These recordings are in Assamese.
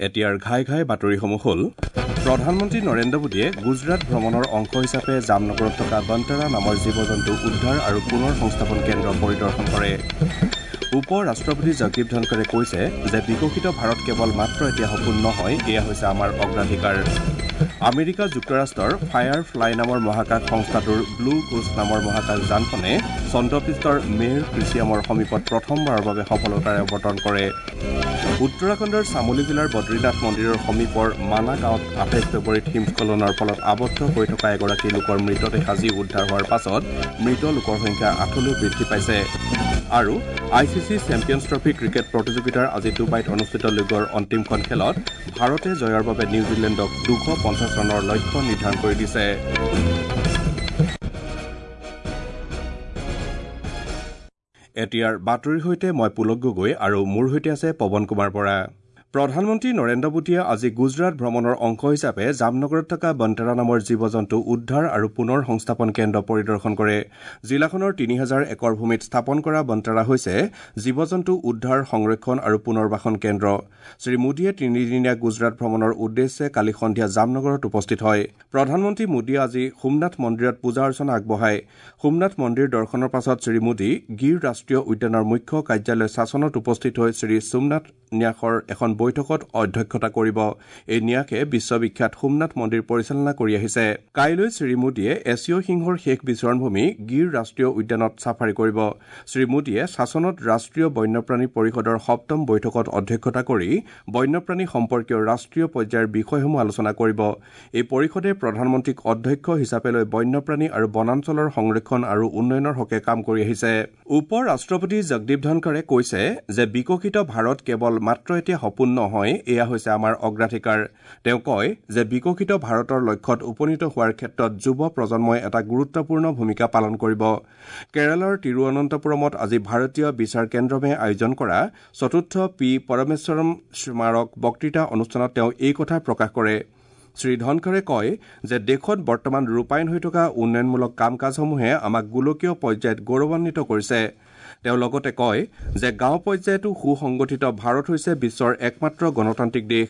এতিয়াৰ ঘাই ঘাই বাতৰিসমূহ হ'ল: প্ৰধানমন্ত্ৰী নৰেন্দ্ৰ মোদীয়ে গুজৰাট ভ্ৰমণৰ অংশ হিচাপে জামনগৰত থকা বন্তৰা নামৰ জীৱ জন্তু উদ্ধাৰ আৰু পুনৰ সংস্থাপন কেন্দ্ৰ পৰিদৰ্শন কৰে। উপ ৰাষ্ট্ৰপতি জগদীপ ধনখৰে কৈছে যে বিকশিত ভাৰত কেৱল মাত্ৰ এতিয়া সপোন নহয়, এয়া হৈছে আমাৰ অগ্ৰাধিকাৰ। আমেৰিকা যুক্তৰাষ্ট্ৰৰ ফায়াৰ ফ্লাই নামৰ মহাকাশ সংস্থাটোৰ ব্লু ঘোষ্ট নামৰ মহাকাশ যানখনে চন্দ্ৰপৃষ্ঠৰ মেৰ ক্ৰিছিয়ামৰ সমীপত প্ৰথমবাৰৰ বাবে সফলতাৰে অৱতৰণ কৰে। উত্তৰাখণ্ডৰ চামলি জিলাৰ বদ্ৰীনাথ মন্দিৰৰ সমীপৰ মানা গাঁৱত 28 ফেব্ৰুৱাৰীত হিমস্খলনৰ ফলত আবদ্ধ হৈ থকা এগৰাকী লোকৰ মৃতদেহ আজি উদ্ধাৰ হোৱাৰ পাছত মৃত লোকৰ সংখ্যা 8লৈ বৃদ্ধি পাইছে। আৰু I C C champions trophy cricket প্ৰতিযোগিতাৰ আজি ডুবাইত অনুষ্ঠিত লীগৰ অন্তিমখন খেলত ভাৰতে জয়ৰ বাবে নিউজিলেণ্ডক 250 ৰানৰ লক্ষ্য নিৰ্ধাৰণ কৰি দিছে। এতিয়াৰ বাতৰিৰ সৈতে মই পুলক গগৈ আৰু মোৰ সৈতে আছে পৱন কুমাৰ বৰা। প্ৰধানমন্ত্ৰী নৰেন্দ্ৰ মোদীয়ে আজি গুজৰাট ভ্ৰমণৰ অংশ হিচাপে জামনগৰত থকা বন্তৰা নামৰ জীৱ জন্তু উদ্ধাৰ আৰু পুনৰ সংস্থাপন কেন্দ্ৰ পৰিদৰ্শন কৰে। জিলাখনৰ 3000 একৰ ভূমিত স্থাপন কৰা বন্তৰা হৈছে জীৱ জন্তু উদ্ধাৰ, সংৰক্ষণ আৰু পুনৰ্বাসন কেন্দ্ৰ। শ্ৰী মোদীয়ে তিনিদিনীয়া গুজৰাট ভ্ৰমণৰ উদ্দেশ্যে কালি সন্ধিয়া জামনগৰত উপস্থিত হয়। প্ৰধানমন্ত্ৰী মোদীয়ে আজি সোমনাথ মন্দিৰত পূজা অৰ্চনা আগবঢ়ায়। সোমনাথ মন্দিৰ দৰ্শনৰ পাছত শ্ৰী মোদী গিৰ ৰাষ্ট্ৰীয় উদ্যানৰ মুখ্য কাৰ্যালয় শাসনত উপস্থিত হৈ শ্ৰী সোমনাথ ন্যাসৰ এখন বৈঠকত অধ্যক্ষতা কৰিব। এই ন্যাসে বিশ্ববিখ্যাত সোমনাথ মন্দিৰ পৰিচালনা কৰি আহিছে। কাইলৈ শ্ৰী মোদীয়ে এছীয় সিংহৰ শেষ বিচৰণভূমি গিৰ ৰাষ্ট্ৰীয় উদ্যানত ছাফাৰী কৰিব। শ্ৰী মোদীয়ে শাসনত ৰাষ্ট্ৰীয় বন্যপ্ৰাণী পৰিষদৰ সপ্তম বৈঠকত অধ্যক্ষতা কৰি বন্যপ্ৰাণী সম্পৰ্কীয় ৰাষ্ট্ৰীয় পৰ্যায়ৰ বিষয়সমূহ আলোচনা কৰিব। এই পৰিষদে প্ৰধানমন্ত্ৰীক অধ্যক্ষ হিচাপে লৈ বন্যপ্ৰাণী আৰু বনাঞ্চলৰ সংৰক্ষণ আৰু উন্নয়নৰ হকে কাম কৰি আহিছে। উপ ৰাষ্ট্ৰপতি জগদীপ ধনখৰে কৈছে যে বিকশিত ভাৰত কেৱল মাত্ৰ এতিয়া সপোন নহয়, এয়া হৈছে আমাৰ অগ্ৰাধিকাৰ। তেওঁ কয় যে বিকশিত ভাৰতৰ লক্ষ্যত উপনীত হোৱাৰ ক্ষেত্ৰত যুৱ প্ৰজন্মই এটা গুৰুত্বপূৰ্ণ ভূমিকা পালন কৰিব। কেৰালাৰ তিৰুৱনন্তপুৰমত আজি ভাৰতীয় বিচাৰ কেন্দ্ৰমে আয়োজন কৰা চতুৰ্থ পি পৰমেশ্বৰম স্মাৰক বক্তৃতা অনুষ্ঠানত তেওঁ এই কথা প্ৰকাশ কৰে। শ্ৰী ধনখৰে কয় যে দেশত বৰ্তমান ৰূপায়ণ হৈ থকা উন্নয়নমূলক কাম কাজসমূহে আমাক গোলকীয় পৰ্যায়ত গৌৰৱান্বিত কৰিছে। তেওঁ লগতে কয় যে গাঁও পৰ্যায়তো সুসংগঠিত ভাৰত হৈছে বিশ্বৰ একমাত্ৰ গণতান্ত্ৰিক দেশ।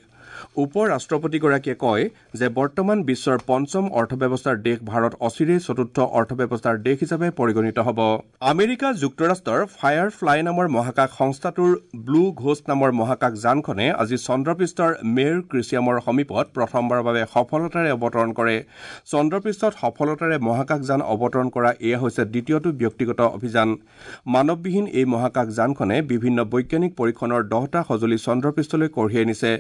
উপ ৰাষ্ট্ৰপতিগৰাকীয়ে কয় যে বৰ্তমান বিশ্বৰ পঞ্চম অৰ্থব্যৱস্থাৰ দেশ ভাৰত অচিৰেই চতুৰ্থ অৰ্থব্যৱস্থাৰ দেশ হিচাপে পৰিগণিত হ'ব। আমেৰিকা যুক্তৰাষ্ট্ৰৰ ফায়াৰ ফ্লাই নামৰ মহাকাশ সংস্থাটোৰ ব্লু ঘোষ্ট নামৰ মহাকাশ যানখনে আজি চন্দ্ৰপৃষ্ঠৰ মেৰ ক্ৰিছিয়ামৰ সমীপত প্ৰথমবাৰৰ বাবে সফলতাৰে অৱতৰণ কৰে। চন্দ্ৰপৃষ্ঠত সফলতাৰে মহাকাশ যান অৱতৰণ কৰা এয়া হৈছে দ্বিতীয়টো ব্যক্তিগত অভিযান। মানৱবিহীন এই মহাকাশ যানখনে বিভিন্ন বৈজ্ঞানিক পৰীক্ষণৰ 10টা সঁজুলি চন্দ্ৰপৃষ্ঠলৈ কঢ়িয়াই নিছে।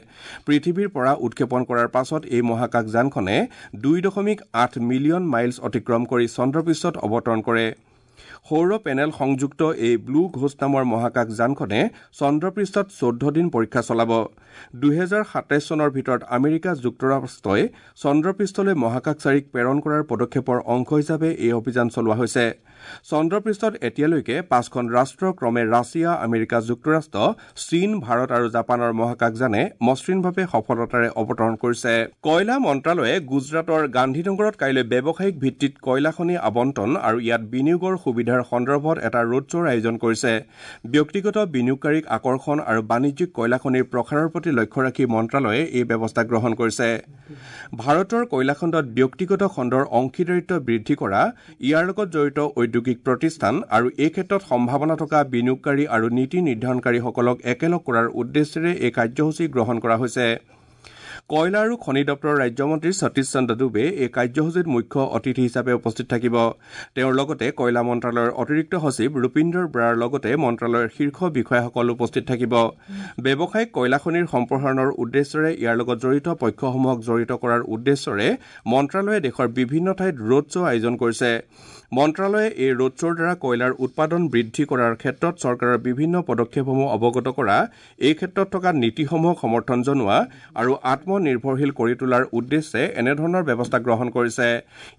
পৃথিৱীৰ পৰা উৎক্ষেপণ কৰাৰ পাছত এই মহাকাশ যানখনে 2.8 মিলিয়ন মাইলছ অতিক্ৰম কৰি চন্দ্ৰপৃষ্ঠত অৱতৰণ কৰে। সৌৰ পেনেল সংযুক্ত এই ব্লু ঘোষ্ট নামৰ মহাকাশ যানখনে চন্দ্ৰপৃষ্ঠত 14 দিন পৰীক্ষা চলাব। 2027 চনৰ ভিতৰত আমেৰিকা যুক্তৰাষ্ট্ৰই চন্দ্ৰপৃষ্ঠলৈ মহাকাশচাৰীক প্ৰেৰণ কৰাৰ পদক্ষেপৰ অংশ হিচাপে এই অভিযান চলোৱা হৈছে। চন্দ্ৰপৃষ্ঠত এতিয়ালৈকে 5খন ৰাষ্ট্ৰ ক্ৰমে ৰাছিয়া, আমেৰিকা যুক্তৰাষ্ট্ৰ, চীন, ভাৰত আৰু জাপানৰ মহাকাশযানে মসৃণভাৱে সফলতাৰে অৱতৰণ কৰিছে। কয়লা মন্ত্ৰালয়ে গুজৰাটৰ গান্ধীনগৰত কাইলৈ ব্যৱসায়িক ভিত্তিত কয়লা খনি আবণ্টন আৰু ইয়াত বিনিয়োগৰ সুবিধাৰ সন্দৰ্ভত এটা ৰোড শ্ব'ৰ আয়োজন কৰিছে। ব্যক্তিগত বিনিয়োগকাৰীক আকৰ্ষণ আৰু বাণিজ্যিক কয়লা খনিৰ প্ৰসাৰৰ প্ৰতি লক্ষ্য ৰাখি মন্ত্ৰালয়ে এই ব্যৱস্থা গ্ৰহণ কৰিছে। ভাৰতৰ কয়লা খণ্ডত ব্যক্তিগত খণ্ডৰ অংশীদাৰিত্ব বৃদ্ধি কৰা, ইয়াৰ লগত জড়িত ঔদ্যোগিক প্ৰতিষ্ঠান আৰু এই ক্ষেত্ৰত সম্ভাৱনা থকা বিনিয়োগকাৰী আৰু নীতি নিৰ্ধাৰণকাৰীসকলক একেলগ কৰাৰ উদ্দেশ্যেৰে এই কাৰ্যসূচী গ্ৰহণ কৰা হৈছে। কয়লা আৰু খনি দপ্তৰৰ ৰাজ্যমন্ত্ৰী সতীশ চন্দ্ৰ ডুবে এই কাৰ্যসূচীত মুখ্য অতিথি হিচাপে উপস্থিত থাকিব। তেওঁৰ লগতে কয়লা মন্ত্ৰালয়ৰ অতিৰিক্ত সচিব ৰূপিন্দৰ ব্ৰাৰ লগতে মন্ত্ৰালয়ৰ শীৰ্ষ বিষয়াসকল উপস্থিত থাকিব। ব্যৱসায়িক কয়লা খনিৰ সম্প্ৰসাৰণৰ উদ্দেশ্যেৰে ইয়াৰ লগত জড়িত পক্ষসমূহক জড়িত কৰাৰ উদ্দেশ্যৰে মন্ত্ৰালয়ে দেশৰ বিভিন্ন ঠাইত ৰোড শ্ব' আয়োজন কৰিছে। মন্ত্ৰালয়ে এই ৰোড শ্ব'ৰ দ্বাৰা কয়লাৰ উৎপাদন বৃদ্ধি কৰাৰ ক্ষেত্ৰত চৰকাৰৰ বিভিন্ন পদক্ষেপসমূহ অৱগত কৰা, এই ক্ষেত্ৰত থকা নীতিসমূহক সমৰ্থন জনোৱা আৰু আত্মনিৰ্ভৰশীল কৰি তোলাৰ উদ্দেশ্যে এনেধৰণৰ ব্যৱস্থা গ্ৰহণ কৰিছে।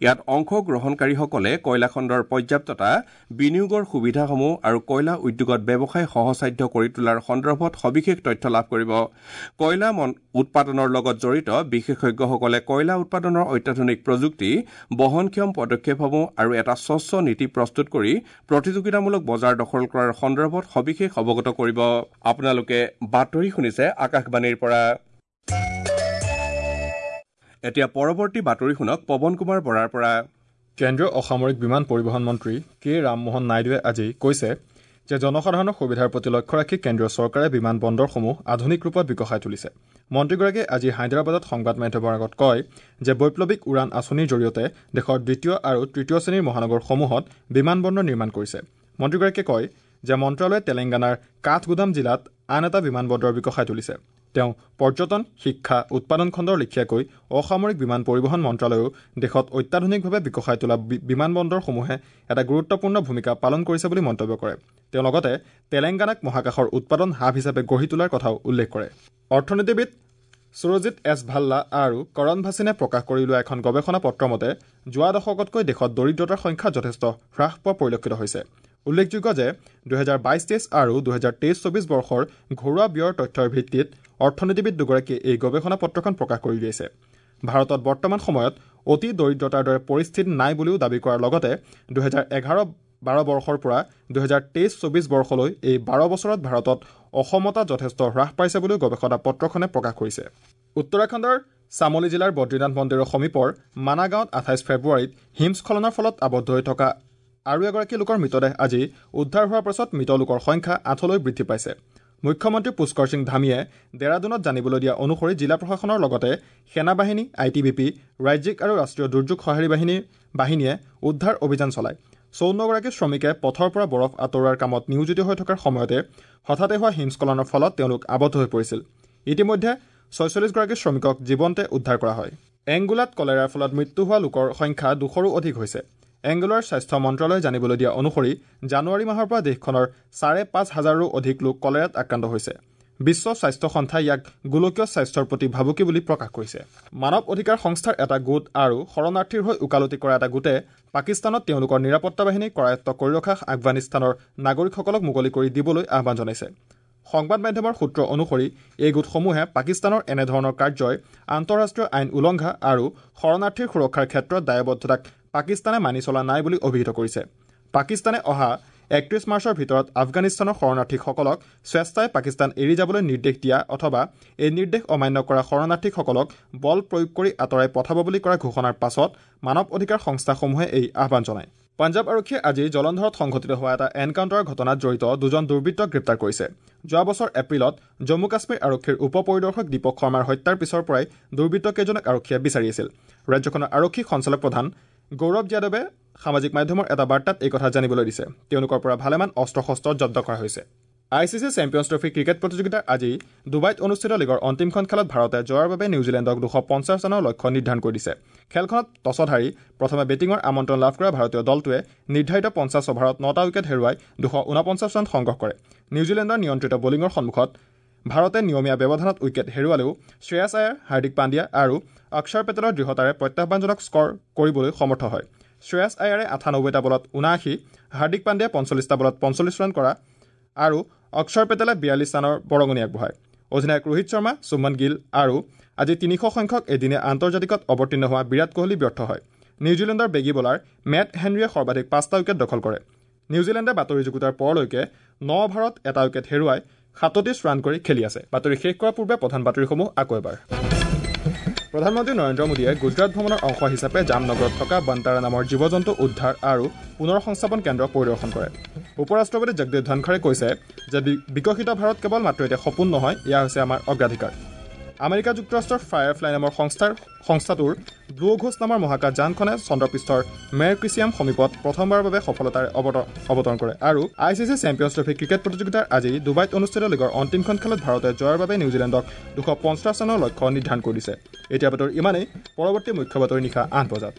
ইয়াত অংশগ্ৰহণকাৰীসকলে কয়লা খণ্ডৰ পৰ্যাপ্ততা, বিনিয়োগৰ সুবিধাসমূহ আৰু কয়লা উদ্যোগত ব্যৱসায় সহজসাধ্য কৰি তোলাৰ সন্দৰ্ভত সবিশেষ তথ্য লাভ কৰিব। কয়লা উৎপাদনৰ লগত জড়িত বিশেষজ্ঞসকলে কয়লা উৎপাদনৰ অত্যাধুনিক প্ৰযুক্তি, বহনক্ষম পদক্ষেপসমূহ আৰু এটা স্বচ্ছ নীতি প্ৰস্তুত কৰি প্ৰতিযোগিতামূলক বজাৰ দখল কৰাৰ সন্দৰ্ভত সবিশেষ অৱগত কৰিব। আপোনালোকে বাতৰি শুনিছে আকাশবাণীৰ পৰা। এতিয়া পৰৱৰ্তী বাতৰি শুনক পৱন কুমাৰ বৰাৰ পৰা। কেন্দ্ৰীয় অসামৰিক বিমান পৰিবহণ মন্ত্ৰী কে ৰামমোহন নাইডুৱে আজি কৈছে যে জনসাধাৰণৰ সুবিধাৰ প্ৰতি লক্ষ্য ৰাখি কেন্দ্ৰীয় চৰকাৰে বিমান বন্দৰসমূহ আধুনিক ৰূপত বিকশাই তুলিছে। মন্ত্ৰীগৰাকীয়ে আজি হায়দৰাবাদত সংবাদ মাধ্যমৰ আগত কয় যে বৈপ্লৱিক উড়ান আঁচনিৰ জৰিয়তে দেশৰ দ্বিতীয় আৰু তৃতীয় শ্ৰেণীৰ মহানগৰসমূহত বিমান বন্দৰ নিৰ্মাণ কৰিছে। মন্ত্ৰীগৰাকীয়ে কয় যে মন্ত্ৰালয়ে তেলেংগানাৰ কাঠগুদাম জিলাত আন এটা বিমান বন্দৰ বিকশাই তুলিছে। তেওঁ পৰ্যটন, শিক্ষা, উৎপাদন খণ্ডৰ লেখীয়াকৈ অসামৰিক বিমান পৰিবহণ মন্ত্ৰালয়েও দেশত অত্যাধুনিকভাৱে বিকশাই তোলা বিমান বন্দৰসমূহে এটা গুৰুত্বপূৰ্ণ ভূমিকা পালন কৰিছে বুলি মন্তব্য কৰে। তেওঁ লগতে তেলেংগানাক মহাকাশৰ উৎপাদন হাব হিচাপে গঢ়ি তোলাৰ কথাও উল্লেখ কৰে। অৰ্থনীতিবিদ সুৰজিত এছ ভাল্লা আৰু কৰণ ভাছিনে প্ৰকাশ কৰি লোৱা এখন গৱেষণা পত্ৰ মতে যোৱা দশকতকৈ দেশত দৰিদ্ৰতাৰ সংখ্যা যথেষ্ট হ্ৰাস পোৱা পৰিলক্ষিত হৈছে। উল্লেখযোগ্য যে 2022-23 আৰু 2023-24 বৰ্ষৰ ঘৰুৱা ব্যয়ৰ তথ্যৰ ভিত্তিত অৰ্থনীতিবিদ দুগৰাকীয়ে এই গৱেষণা পত্ৰখন প্ৰকাশ কৰি উলিয়াইছে। ভাৰতত বৰ্তমান সময়ত অতি দৰিদ্ৰতাৰ দৰে পৰিস্থিতি নাই বুলিও দাবী কৰাৰ লগতে 2011-12 বৰ্ষৰ পৰা 2023-24 বৰ্ষলৈ এই 12 বছৰত ভাৰতত অসমতা যথেষ্ট হ্ৰাস পাইছে বুলিও গৱেষণা পত্ৰখনে প্ৰকাশ কৰিছে। উত্তৰাখণ্ডৰ চামলি জিলাৰ বদ্ৰীনাথ মন্দিৰৰ সমীপৰ মানা গাঁৱত 28 ফেব্ৰুৱাৰীত হিমস্খলনৰ ফলত আবদ্ধ হৈ থকা আৰু এগৰাকী লোকৰ মৃতদেহ আজি উদ্ধাৰ হোৱাৰ পাছত মৃত লোকৰ সংখ্যা 8লৈ বৃদ্ধি পাইছে। মুখ্যমন্ত্ৰী পুষ্কৰ সিং ধামীয়ে ডেৰাডুনত জানিবলৈ দিয়া অনুসৰি জিলা প্ৰশাসনৰ লগতে সেনাবাহিনী, ITBP, ৰাজ্যিক আৰু ৰাষ্ট্ৰীয় দুৰ্যোগ সঁহাৰি বাহিনীয়ে উদ্ধাৰ অভিযান চলায়। 54গৰাকী শ্ৰমিকে পথৰ পৰা বৰফ আঁতৰোৱাৰ কামত নিয়োজিত হৈ থকাৰ সময়তে হঠাতে হোৱা হিমস্খলনৰ ফলত তেওঁলোক আবদ্ধ হৈ পৰিছিল। ইতিমধ্যে 46গৰাকী শ্ৰমিকক জীৱন্তে উদ্ধাৰ কৰা হয়। এংগোলাত কলেৰাৰ ফলত মৃত্যু হোৱা লোকৰ সংখ্যা 200ৰো অধিক হৈছে। এংগোলাৰ স্বাস্থ্য মন্ত্ৰালয়ে জানিবলৈ দিয়া অনুসৰি জানুৱাৰী মাহৰ পৰা দেশখনৰ 5,500ৰো অধিক লোক কলেৰাত আক্ৰান্ত হৈছে। বিশ্ব স্বাস্থ্য সন্থাই ইয়াক গোলকীয় স্বাস্থ্যৰ প্ৰতি ভাবুকি বুলি প্ৰকাশ কৰিছে। মানৱ অধিকাৰ সংস্থাৰ এটা গোট আৰু শৰণাৰ্থীৰ হৈ ওকালতি কৰা এটা গোটে পাকিস্তানত তেওঁলোকৰ নিৰাপত্তা বাহিনী কৰায়ত্ব কৰি ৰখা আফগানিস্তানৰ নাগৰিকসকলক মুকলি কৰি দিবলৈ আহ্বান জনাইছে। সংবাদ মাধ্যমৰ সূত্ৰ অনুসৰি এই গোটসমূহে পাকিস্তানৰ এনেধৰণৰ কাৰ্যই আন্তঃৰাষ্ট্ৰীয় আইন উলংঘা আৰু শৰণাৰ্থীৰ সুৰক্ষাৰ ক্ষেত্ৰত দায়বদ্ধতাক পাকিস্তানে মানি চলা নাই বুলি অভিহিত কৰিছে। পাকিস্তানে অহা 31 মাৰ্চৰ ভিতৰত আফগানিস্তানৰ শৰণাৰ্থীসকলক স্বেচ্ছাই পাকিস্তান এৰি যাবলৈ নিৰ্দেশ দিয়া অথবা এই নিৰ্দেশ অমান্য কৰা শৰণাৰ্থীসকলক বল প্ৰয়োগ কৰি আঁতৰাই পঠাব বুলি কৰা ঘোষণাৰ পাছত মানৱ অধিকাৰ সংস্থাসমূহে এই আহ্বান জনায়। পঞ্জাৱ আৰক্ষীয়ে আজি জলন্ধৰত সংঘটিত হোৱা এটা এনকাউণ্টাৰৰ ঘটনাত জড়িত দুজন দুৰ্বৃত্তক গ্ৰেপ্তাৰ কৰিছে। যোৱা বছৰ এপ্ৰিলত জম্মু কাশ্মীৰ আৰক্ষীৰ উপ পৰিদৰ্শক দীপক শৰ্মাৰ হত্যাৰ পিছৰ পৰাই দুৰ্বৃত্তকেইজনক আৰক্ষীয়ে বিচাৰি আছিল। ৰাজ্যখনৰ আৰক্ষী সঞ্চালক প্ৰধান গৌৰৱ যাদৱে সামাজিক মাধ্যমৰ এটা বাৰ্তাত এই কথা জানিবলৈ দিছে। তেওঁলোকৰ পৰা ভালেমান অস্ত্ৰ শস্ত্ৰ জব্দ কৰা হৈছে। ICC champions trophy cricket প্ৰতিযোগিতাৰ আজি ডুবাইত অনুষ্ঠিত লীগৰ অন্তিমখন খেলত ভাৰতে জয়ৰ বাবে নিউজিলেণ্ডক 250 ৰানৰ লক্ষ্য নিৰ্ধাৰণ কৰি দিছে। খেলখনত টছত হাৰি প্ৰথমে বেটিঙৰ আমন্ত্ৰণ লাভ কৰা ভাৰতীয় দলটোৱে নিৰ্ধাৰিত 50 অভাৰত 9টা উইকেট হেৰুৱাই 249 ৰান সংগ্ৰহ কৰে। নিউজিলেণ্ডৰ নিয়ন্ত্ৰিত বলিঙৰ সন্মুখত ভাৰতে নিয়মীয়া ব্যৱধানত উইকেট হেৰুৱালেও শ্ৰেয়াছ আয়াৰ, হাৰ্দিক পাণ্ডিয়া আৰু অক্ষৰ পেটেলৰ দৃঢ়তাৰে প্ৰত্যাহ্বানজনক স্ক'ৰ কৰিবলৈ সমৰ্থ হয়। শ্ৰেয়াছ আয়াৰে 98টা বলত 79, হাৰ্দিক পাণ্ডিয়াই 45টা বলত 45 ৰান কৰা আৰু অক্ষৰ পেটেলে 42 ৰানৰ বৰঙণি আগবঢ়ায়। অধিনায়ক ৰোহিত শৰ্মা, শুভমন গিল আৰু আজি 300 সংখ্যক এদিনীয়া আন্তৰ্জাতিকত অৱতীৰ্ণ হোৱা বিৰাট কোহলি ব্যৰ্থ হয়। নিউজিলেণ্ডৰ বেগী বলাৰ মেট হেনৰীয়ে সৰ্বাধিক 5টা উইকেট দখল কৰে। নিউজিলেণ্ডে বাতৰি যুগুতাৰ পৰলৈকে 9 অভাৰত এটা উইকেট হেৰুৱাই 37 ৰান কৰি খেলি আছে। বাতৰি শেষ কৰাৰ পূৰ্বে প্ৰধান বাতৰিসমূহ আকৌ এবাৰ। প্ৰধানমন্ত্ৰী নৰেন্দ্ৰ মোদীয়ে গুজৰাট ভ্ৰমণৰ অংশ হিচাপে জামনগৰত থকা বন্তাৰা নামৰ জীৱ জন্তু উদ্ধাৰ আৰু পুনৰ সংস্থাপন কেন্দ্ৰ পৰিদৰ্শন কৰে। উপ ৰাষ্ট্ৰপতি জগদীপ ধনখৰে কৈছে যে বিকশিত ভাৰত কেৱল মাত্ৰ এতিয়া সপোন নহয়, এয়া হৈছে আমাৰ অগ্ৰাধিকাৰ। আমেৰিকা যুক্তৰাষ্ট্ৰৰ ফায়াৰফ্লাই নামৰ সংস্থাটোৰ ব্লু ঘোষ্ট নামৰ মহাকাশ যানখনে চন্দ্ৰপৃষ্ঠৰ মেৰক্ৰিচিয়াম সমীপত প্ৰথমবাৰৰ বাবে সফলতাৰে অৱতৰণ কৰে। আৰু ICC champions trophy cricket প্ৰতিযোগিতাৰ আজি ডুবাইত অনুষ্ঠিত লীগৰ অন্তিমখন খেলত ভাৰতে জয়ৰ বাবে নিউজিলেণ্ডক 250 ৰানৰ লক্ষ্য নিৰ্ধাৰণ কৰি দিছে। এতিয়া বাতৰি ইমানেই। পৰৱৰ্তী মুখ্য বাতৰি নিশা 8 বজাত।